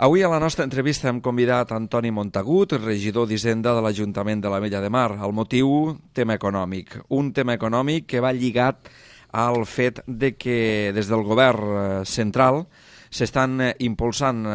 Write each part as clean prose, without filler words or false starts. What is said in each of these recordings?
Avui a la nostra entrevista hem convidat Antoni Montagut, regidor d'Hisenda de l'Ajuntament de l'Ametlla de Mar. El motiu, tema econòmic. Un tema econòmic que va lligat al fet de que des del govern central s'estan impulsant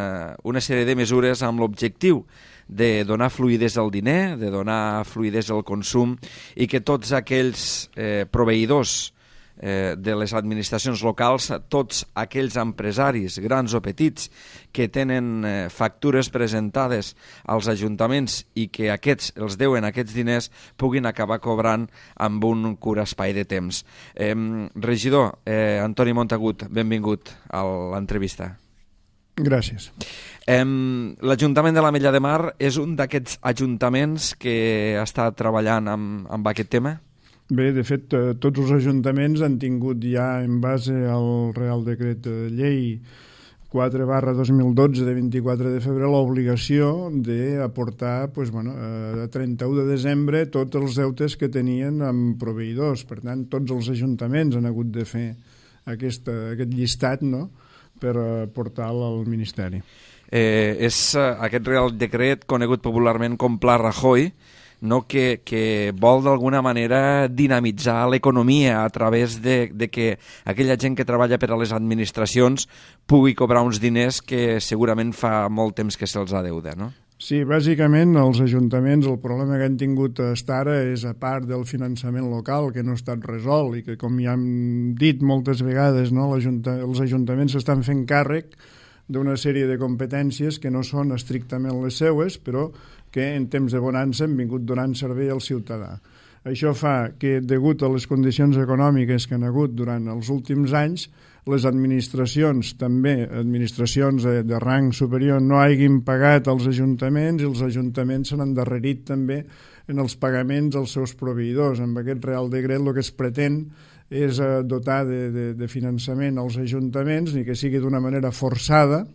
una sèrie de mesures amb l'objectiu de donar fluïdesa al diner, de donar fluïdesa al consum i que tots aquells proveïdors de les administracions locals, tots aquells empresaris, grans o petits, que tenen factures presentades als ajuntaments i que aquests els deuen aquests diners, puguin acabar cobrant amb un curt espai de temps. Regidor Antoni Montagut, benvingut a l'entrevista. Gràcies. L'Ajuntament de l'Ametlla de Mar és un d'aquests ajuntaments que està treballant amb aquest tema? Bé, de fet, tots els ajuntaments han tingut ja, en base al Real Decret Llei 4/2012 de 24 de febrer, l'obligació d'aportar a 31 de desembre tots els deutes que tenien amb proveïdors. Per tant, tots els ajuntaments han hagut de fer aquest llistat, no?, per portar-lo al Ministeri. És aquest Real Decret, conegut popularment com Pla Rajoy, no, que vol d'alguna manera dinamitzar l'economia a través de que aquella gent que treballa per a les administracions pugui cobrar uns diners que segurament fa molt temps que se'ls ha deuda, no? Sí, bàsicament els ajuntaments, el problema que han tingut fins ara és, a part del finançament local, que no ha estat resolt i que, com ja hem dit moltes vegades, no, els ajuntaments s'estan fent càrrec d'una sèrie de competències que no són estrictament les seues, però que en temps de bonança han vingut donant servei al ciutadà. Això fa que, degut a les condicions econòmiques que han hagut durant els últims anys, les administracions, també administracions de rang superior, no hagin pagat als ajuntaments i els ajuntaments s'han endarrerit també en els pagaments als seus proveïdors. Amb aquest Real Decret el que es pretén és dotar de finançament als ajuntaments, ni que sigui d'una manera forçada,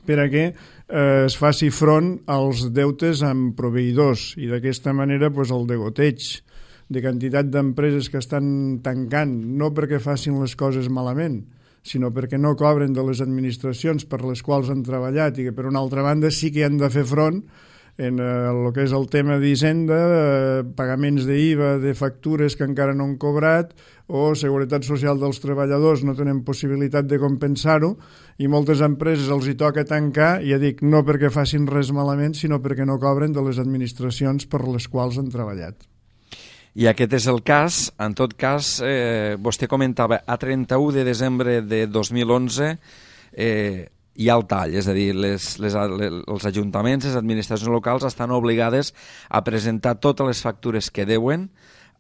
per a que es faci front als deutes amb proveïdors i d'aquesta manera el degoteig de quantitat d'empreses que estan tancant, no perquè facin les coses malament, sinó perquè no cobren de les administracions per les quals han treballat i que, per una altra banda, sí que han de fer front en el que és el tema d'Hisenda, pagaments d'IVA, de factures que encara no han cobrat, o seguretat social dels treballadors, no tenen possibilitat de compensar-ho, i moltes empreses els hi toca tancar, ja dic, no perquè facin res malament, sinó perquè no cobren de les administracions per les quals han treballat. I aquest és el cas. En tot cas, vostè comentava, a 31 de desembre de 2011 hi ha el tall, és a dir, els ajuntaments, les administracions locals estan obligades a presentar totes les factures que deuen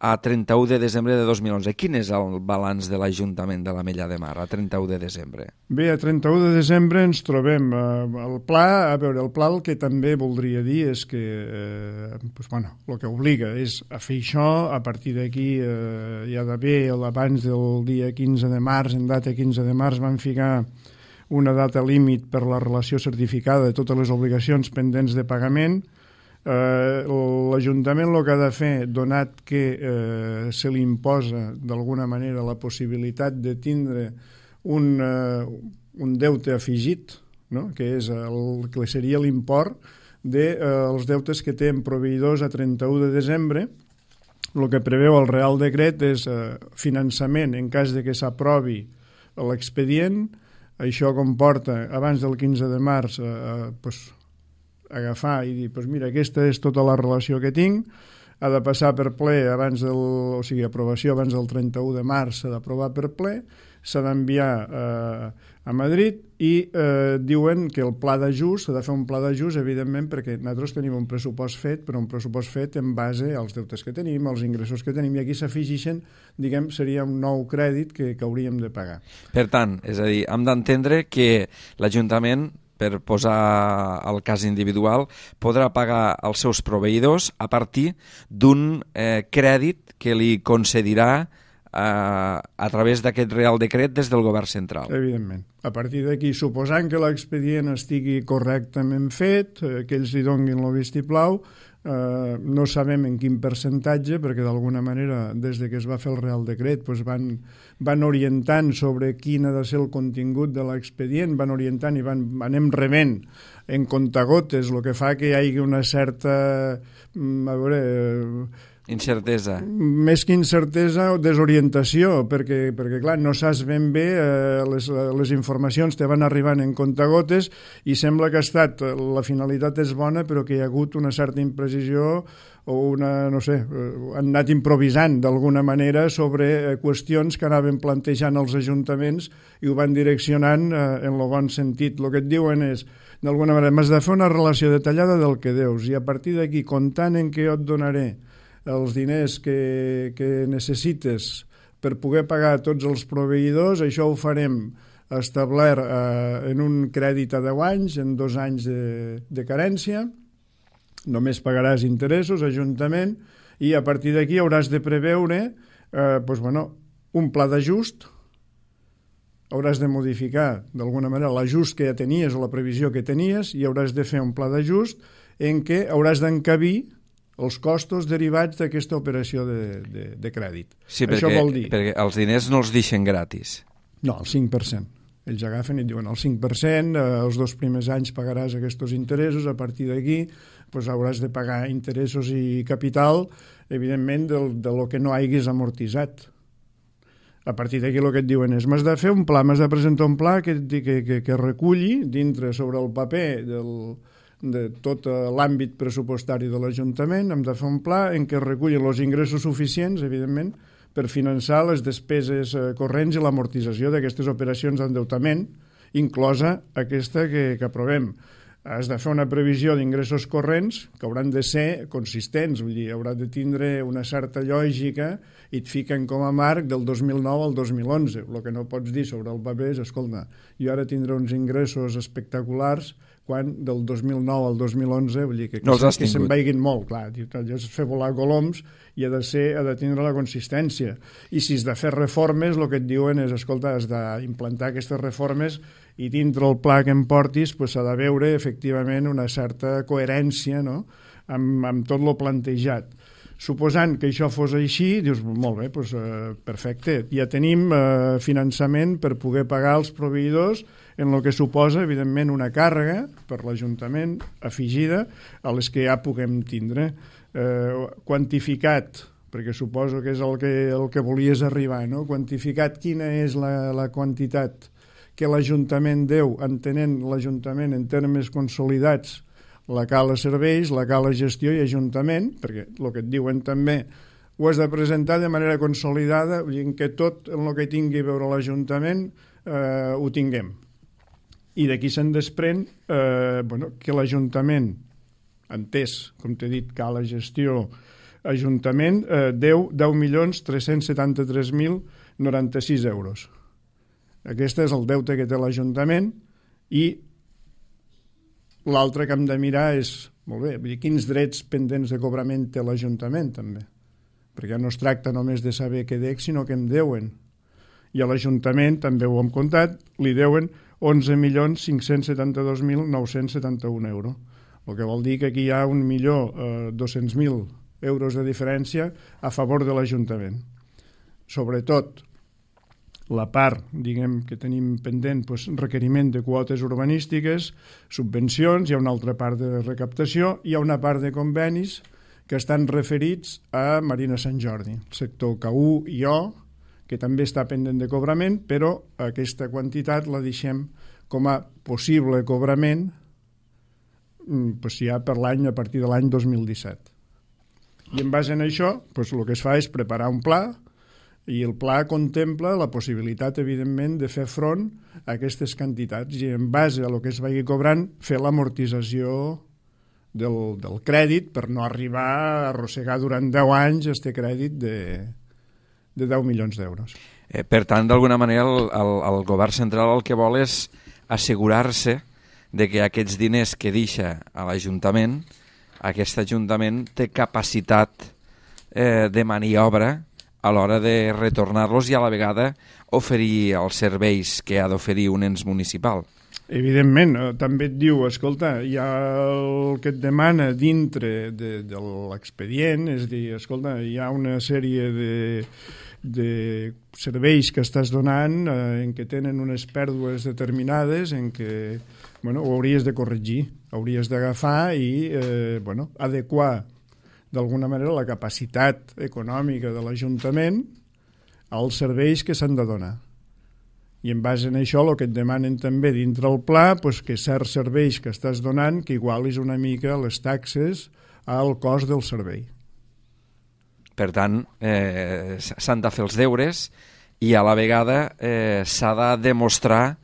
a 31 de desembre de 2011. Quin és el balanç de l'Ajuntament de l'Ametlla de Mar a 31 de desembre? Bé, a 31 de desembre ens trobem el pla. A veure, el pla el que també voldria dir és que el que obliga és a fer això. A partir d'aquí hi ha d'haver, abans del dia 15 de març, en data 15 de març, van ficar una data límit per la relació certificada de totes les obligacions pendents de pagament. L'Ajuntament el que ha de fer, donat que se li imposa d'alguna manera la possibilitat de tindre un deute afegit, no?, que és el que seria l'import dels deutes que té en proveïdors a 31 de desembre, el que preveu el Real Decret és finançament en cas de que s'aprovi l'expedient. Això comporta, abans del 15 de març, agafar i dir, mira, aquesta és tota la relació que tinc, ha de passar per ple aprovació abans del 31 de març, s'ha d'aprovar per ple, s'ha d'enviar a Madrid i diuen que el pla d'ajust, s'ha de fer un pla d'ajust, evidentment, perquè nosaltres tenim un pressupost fet, però un pressupost fet en base als deutes que tenim, als ingressos que tenim, i aquí s'afegeixen, seria un nou crèdit que hauríem de pagar. Per tant, és a dir, hem d'entendre que l'Ajuntament, per posar el cas individual, podrà pagar als seus proveïdors a partir d'un crèdit que li concedirà a través d'aquest Real Decret des del govern central. Evidentment. A partir d'aquí, suposant que l'expedient estigui correctament fet, que ells li donguin el vistiplau, no sabem en quin percentatge, perquè d'alguna manera, des de que es va fer el Real Decret, doncs van orientant sobre quin ha de ser el contingut de l'expedient, van orientant i anem rebent en comptagotes, el que fa que hi hagi una certa... incertesa. Més que incertesa o desorientació, perquè clar, no saps ben bé, les informacions te van arribant en comptagotes i sembla que la finalitat és bona, però que hi ha hagut una certa imprecisió o no sé, han anat improvisant d'alguna manera sobre qüestions que anaven plantejant els ajuntaments i ho van direccionant en el bon sentit. El que et diuen és, d'alguna manera, m'has de fer una relació detallada del que deus i a partir d'aquí, comptant en què jo et donaré els diners que necessites per poder pagar tots els proveïdors, això ho farem establert en un crèdit a 10 anys, en 2 anys de carència, només pagaràs interessos, Ajuntament, i a partir d'aquí hauràs de preveure un pla d'ajust, hauràs de modificar d'alguna manera l'ajust que ja tenies o la previsió que tenies i hauràs de fer un pla d'ajust en què hauràs d'encabir els costos derivats d'aquesta operació de crèdit. Sí, això vol dir... perquè els diners no els deixen gratis. No, el 5%. Ells agafen i diuen el 5%, els 2 primers anys pagaràs aquests interessos, a partir d'aquí hauràs de pagar interessos i capital, evidentment, de lo que no hagis amortitzat. A partir d'aquí el que et diuen és m'has de fer un pla, m'has de presentar un pla que reculli dintre sobre el paper de tot l'àmbit pressupostari de l'Ajuntament, hem de fer un pla en què es recullin els ingressos suficients, evidentment, per finançar les despeses corrents i l'amortització d'aquestes operacions d'endeutament, inclosa aquesta que aprovem. Has de fer una previsió d'ingressos corrents que hauran de ser consistents, vull dir, haurà de tindre una certa lògica i et fiquen com a marc del 2009 al 2011. El que no pots dir sobre el paper és, escolta, jo ara tindré uns ingressos espectaculars quan del 2009 al 2011, vull dir que se'n vagin molt, clar, allò és fer volar coloms i ha de tindre la consistència. I si has de fer reformes, el que et diuen és, escolta, has d'implantar aquestes reformes i dintre el pla que em portis s'ha de veure efectivament una certa coherència, no?, amb tot el plantejat. Suposant que això fos així, dius, molt bé, perfecte, ja tenim finançament per poder pagar els proveïdors en el que suposa, evidentment, una càrrega per l'Ajuntament afegida a les que ja puguem tindre. Quantificat, perquè suposo que és el que volies arribar, no? Quantificat quina és la quantitat que l'Ajuntament deu, entenent l'Ajuntament en termes consolidats, la cala serveis, la cala gestió i Ajuntament, perquè el que et diuen també ho has de presentar de manera consolidada, en què tot el que tingui a veure l'Ajuntament ho tinguem. I d'aquí se'n desprèn que l'Ajuntament, entès, com t'he dit, cala gestió, Ajuntament, deu 10.373.096 euros. Aquest és el deute que té l'Ajuntament i l'altre que hem de mirar és, molt bé, quins drets pendents de cobrament té l'Ajuntament, també. Perquè no es tracta només de saber què dec, sinó que em deuen. I a l'Ajuntament, també ho hem comptat, li deuen 11.572.971 euros. El que vol dir que aquí hi ha 1.200.000 euros de diferència a favor de l'Ajuntament. Sobretot, la part, diguem, que tenim pendent, requeriment de quotes urbanístiques, subvencions, hi ha una altra part de recaptació, hi ha una part de convenis que estan referits a Marina Sant Jordi, el sector K1 i O, que també està pendent de cobrament, però aquesta quantitat la deixem com a possible cobrament ja per l'any, a partir de l'any 2017. I en base a això, el que es fa és preparar un pla, i el pla contempla la possibilitat, evidentment, de fer front a aquestes quantitats i en base a el que es vagi cobrant fer l'amortització del crèdit per no arribar a arrossegar durant 10 anys este crèdit de 10 milions d'euros. Per tant, d'alguna manera, el govern central el que vol és assegurar-se de que aquests diners que deixa a l'Ajuntament, aquest Ajuntament té capacitat de maniobra a l'hora de retornar-los i a la vegada oferir els serveis que ha d'oferir un ens municipal. Evidentment, també et diu, escolta, hi ha el que et demana dintre de l'expedient, és a dir, escolta, hi ha una sèrie de serveis que estàs donant en què tenen unes pèrdues determinades en què ho hauries de corregir, hauries d'agafar i adequar d'alguna manera la capacitat econòmica de l'Ajuntament als serveis que s'han de donar. I en base a això el que et demanen també dintre el pla que certs serveis que estàs donant que igualis una mica les taxes al cost del servei. Per tant, s'han de fer els deures i a la vegada s'ha de demostrar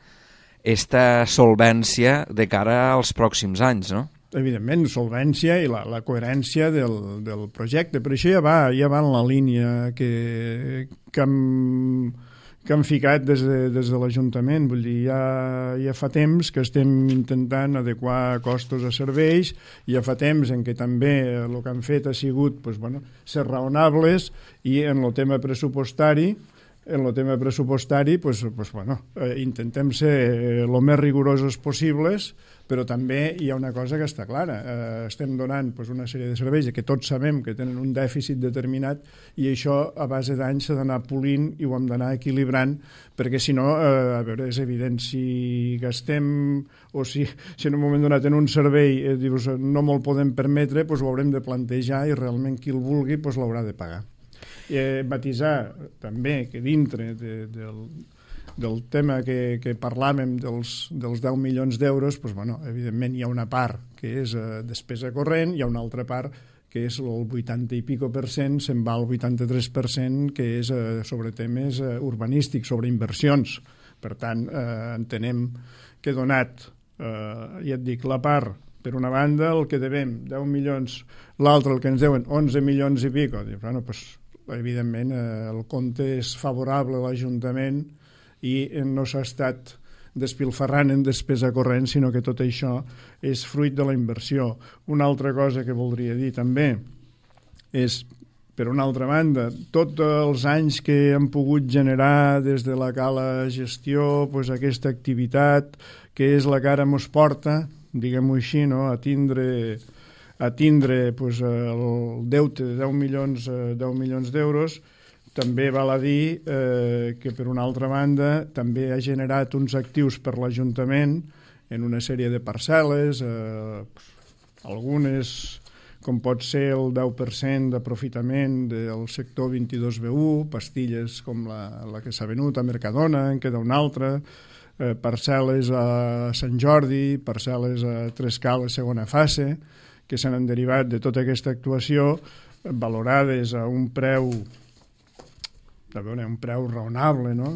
esta solvència de cara als pròxims anys, no? Evidentment, solvència i la coherència del projecte. Per això ja va en la línia que han ficat des de l'Ajuntament. Vull dir, ja fa temps que estem intentant adequar costos a serveis, ja fa temps en què també el que han fet ha sigut ser raonables i en el tema pressupostari intentem ser el més rigorosos possibles, però també hi ha una cosa que està clara. Estem donant una sèrie de serveis que tots sabem que tenen un dèficit determinat i això a base d'anys s'ha d'anar polint i ho hem d'anar equilibrant, perquè si no, és evident, si gastem o si en un moment donat en un servei dius no me'l podem permetre, ho haurem de plantejar i realment qui el vulgui l'haurà de pagar. Matisar també que dintre del tema que parlàvem dels 10 milions d'euros, evidentment hi ha una part que és despesa corrent, hi ha una altra part que és el 80 i pico per cent, se'n va al 83%, que és sobre temes urbanístics, sobre inversions. Per tant, entenem que donat, ja et dic, la part, per una banda, el que devem, 10 milions, l'altre, el que ens deuen, 11 milions i pico, evidentment el compte és favorable a l'Ajuntament i no s'ha estat despilfarrant en despesa corrent, sinó que tot això és fruit de la inversió. Una altra cosa que voldria dir també és, per una altra banda, tots els anys que han pogut generar des de la cala gestió aquesta activitat que és la que ara mos porta, diguem-ho així, a tindre el deute de 10 milions d'euros, també val a dir que, per una altra banda, també ha generat uns actius per l'Ajuntament en una sèrie de parcel·les, algunes, com pot ser el 10% d'aprofitament del sector 22B1, pastilles com la que s'ha venut a Mercadona, en queda una altra, parcel·les a Sant Jordi, parcel·les a Trescales segona fase, que s'han derivat de tota aquesta actuació, valorades a un preu raonable, no?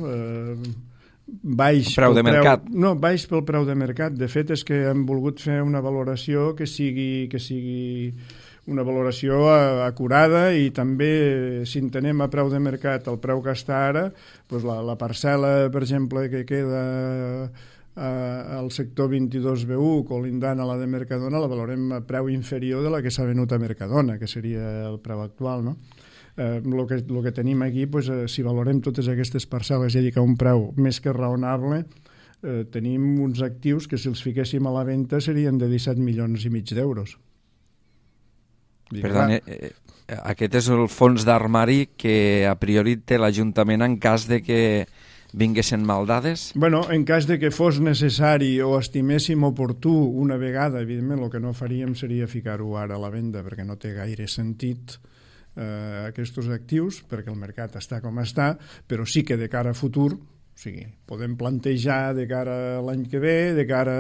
Baix preu de mercat. No, baix pel preu de mercat. De fet, és que hem volgut fer una valoració que sigui una valoració acurada i també, si entenem a preu de mercat el preu que està ara, la parcel·la, per exemple, que queda al sector 22B1, colindant a la de Mercadona, la valorem a preu inferior de la que s'ha venut a Mercadona, que seria el preu actual, no? El que tenim aquí, si valorem totes aquestes parcel·les, ja dic, a un preu més que raonable, tenim uns actius que si els fiquéssim a la venda serien de 17 milions i mig d'euros. Per tant, aquest és el fons d'armari que a priori té l'Ajuntament en cas de que vinguessin mal dades? En cas de que fos necessari o estiméssim oportú una vegada, evidentment el que no faríem seria ficar-ho ara a la venda, perquè no té gaire sentit aquests actius, perquè el mercat està com està, però sí que de cara a futur, o sigui, podem plantejar de cara a l'any que ve, de cara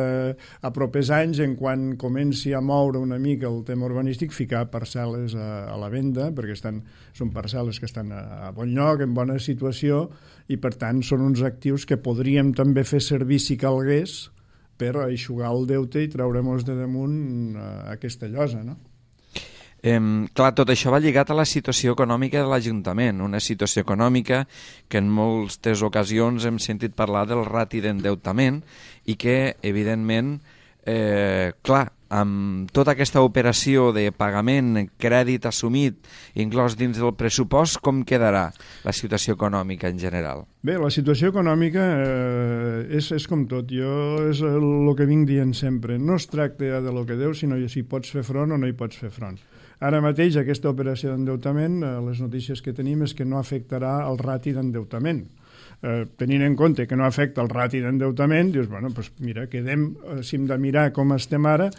a propers anys, en quan comenci a moure una mica el tema urbanístic, ficar parcel·les a la venda, perquè són parcel·les que estan a bon lloc, en bona situació, i per tant són uns actius que podríem també fer servir si calgués per eixugar el deute i treure-nos de damunt aquesta llosa, no? Clar, tot això va lligat a la situació econòmica de l'Ajuntament, una situació econòmica que en moltes ocasions hem sentit parlar del rati d'endeutament i que, evidentment, clar, amb tota aquesta operació de pagament, crèdit assumit, inclòs dins del pressupost, com quedarà la situació econòmica en general? Bé, la situació econòmica és com tot. Jo és el que vinc dient sempre. No es tracta de lo que deus, sinó si pots fer front o no hi pots fer front. Ara mateix aquesta operació d'endeutament, les notícies que tenim és que no afectarà el rati d'endeutament. Tenint en compte que no afecta el rati d'endeutament, dius, bueno, doncs mira, quedem, si hem de mirar com estem ara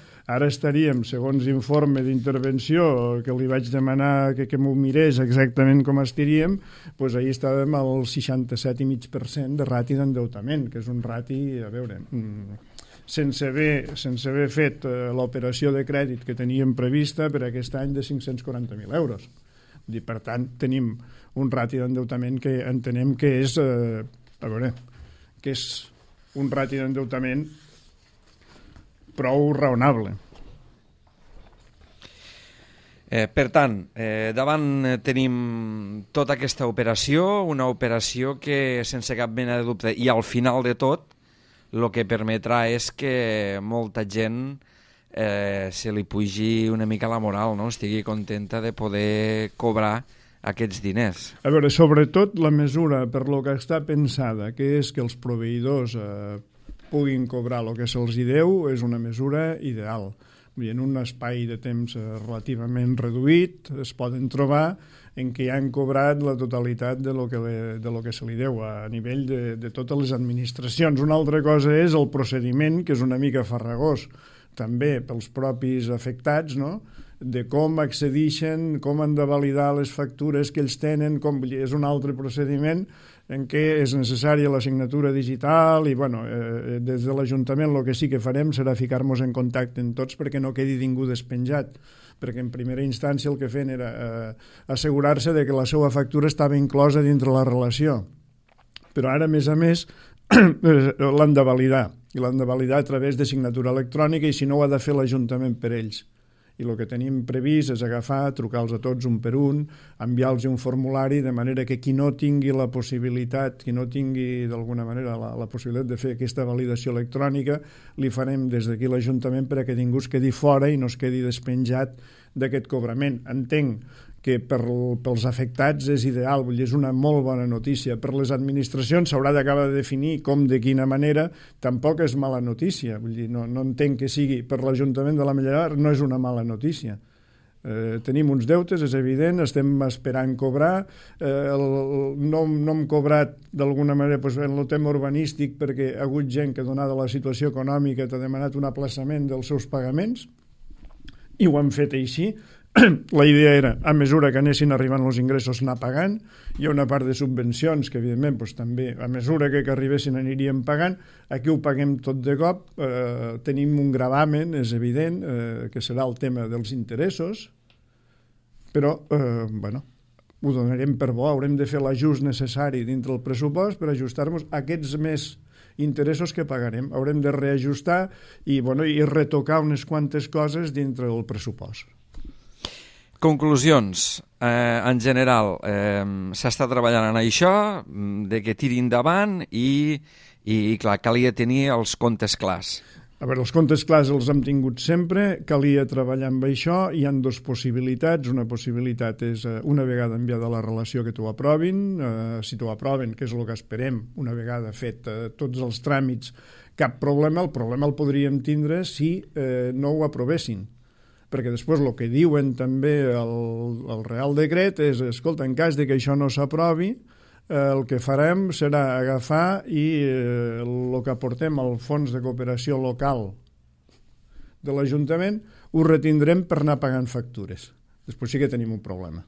estaríem, segons informe d'intervenció que li vaig demanar que m'ho mirés exactament com estaríem, doncs ahir estàvem al 67,5% de rati d'endeutament, que és un rati, a veure, sense haver fet l'operació de crèdit que teníem prevista per aquest any de 540.000 euros. Per tant, tenim un rati d'endeutament que entenem que és, que és un rati d'endeutament prou raonable. Per tant, davant tenim tota aquesta operació, una operació que sense cap mena de dubte, i al final de tot, el que permetrà és que molta gent se li pugi una mica la moral, no? Estigui contenta de poder cobrar aquests diners. A veure, sobretot la mesura per lo que està pensada, que és que els proveïdors puguin cobrar el que se'ls deu, és una mesura ideal. En un espai de temps relativament reduït es poden trobar en què han cobrat la totalitat de lo que se li deu a nivell de totes les administracions. Una altra cosa és el procediment, que és una mica farragós, també pels propis afectats, no?, de com accedeixen, com han de validar les factures que ells tenen, és un altre procediment en què és necessària la signatura digital i, des de l'Ajuntament el que sí que farem serà ficar-nos en contacte amb tots perquè no quedi ningú despenjat, perquè en primera instància el que feien era assegurar-se de que la seva factura estava inclosa dintre la relació. Però ara, a més, l'han de validar, i l'han de validar a través de signatura electrònica, i si no ho ha de fer l'Ajuntament per ells. I el que tenim previst és agafar, trucar-los a tots un per un, enviar-los un formulari, de manera que qui no tingui la possibilitat, qui no tingui d'alguna manera la possibilitat de fer aquesta validació electrònica, li farem des d'aquí l'Ajuntament perquè ningú es quedi fora i no es quedi despenjat d'aquest cobrament. Entenc que pels afectats és ideal, vull dir, és una molt bona notícia. Per les administracions s'haurà d'acabar de definir com, de quina manera, tampoc és mala notícia. Vull dir, no entenc que sigui per l'Ajuntament de la Mellerar, no és una mala notícia. Tenim uns deutes, és evident, estem esperant cobrar, no hem cobrat d'alguna manera en el tema urbanístic perquè ha hagut gent que, donada la situació econòmica, t'ha demanat un aplaçament dels seus pagaments, i ho hem fet així. La idea era, a mesura que anessin arribant els ingressos, anar pagant. Hi ha una part de subvencions que, evidentment, també, a mesura que arribessin aniríem pagant. Aquí ho paguem tot de cop. Tenim un gravamen, és evident, que serà el tema dels interessos, però, ho donarem per bo. Haurem de fer l'ajust necessari dintre el pressupost per ajustar-nos a aquests més interessos que pagarem. Haurem de reajustar i retocar unes quantes coses dintre del pressupost. Conclusions. En general, s'està treballant en això, de que tiri endavant i clar, calia tenir els comptes clars. A veure, els comptes clars els hem tingut sempre, calia treballar amb això. Hi ha dues possibilitats. Una possibilitat és, una vegada enviada la relació, que t'ho aprovin. Si t'ho aproven, que és el que esperem, una vegada fet tots els tràmits, cap problema. El problema el podríem tindre si no ho aprovessin, perquè després el que diuen també el Real Decret és, escolta, en cas de que això no s'aprovi, el que farem serà agafar i el que aportem al Fons de Cooperació Local de l'Ajuntament ho retindrem per anar pagant factures. Després sí que tenim un problema.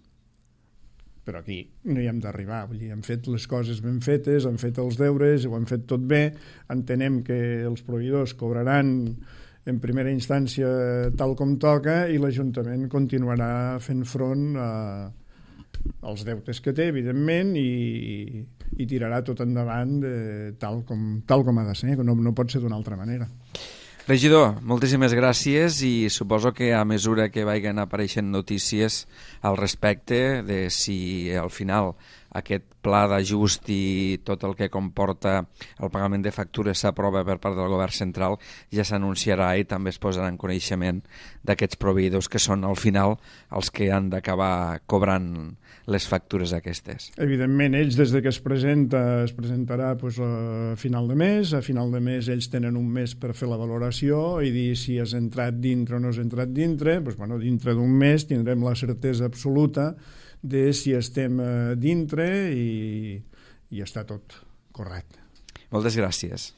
Però aquí no hi hem d'arribar. Vull dir, hem fet les coses ben fetes, hem fet els deures, ho hem fet tot bé, entenem que els proveïdors cobraran en primera instància tal com toca i l'Ajuntament continuarà fent front als deutes que té, evidentment, i tirarà tot endavant tal com ha de ser, no pot ser d'una altra manera. Regidor, moltíssimes gràcies i suposo que a mesura que vagin apareixent notícies al respecte de si al final aquest pla d'ajust i tot el que comporta el pagament de factures s'aprova per part del govern central, ja s'anunciarà i també es posarà en coneixement d'aquests proveïdors que són al final els que han d'acabar cobrant les factures aquestes. Evidentment, ells des de que es presentarà a final de mes. A final de mes ells tenen un mes per fer la valoració i dir si has entrat dintre o no has entrat dintre. Dintre d'un mes tindrem la certesa absoluta de si estem dintre i està tot correcte. Moltes gràcies.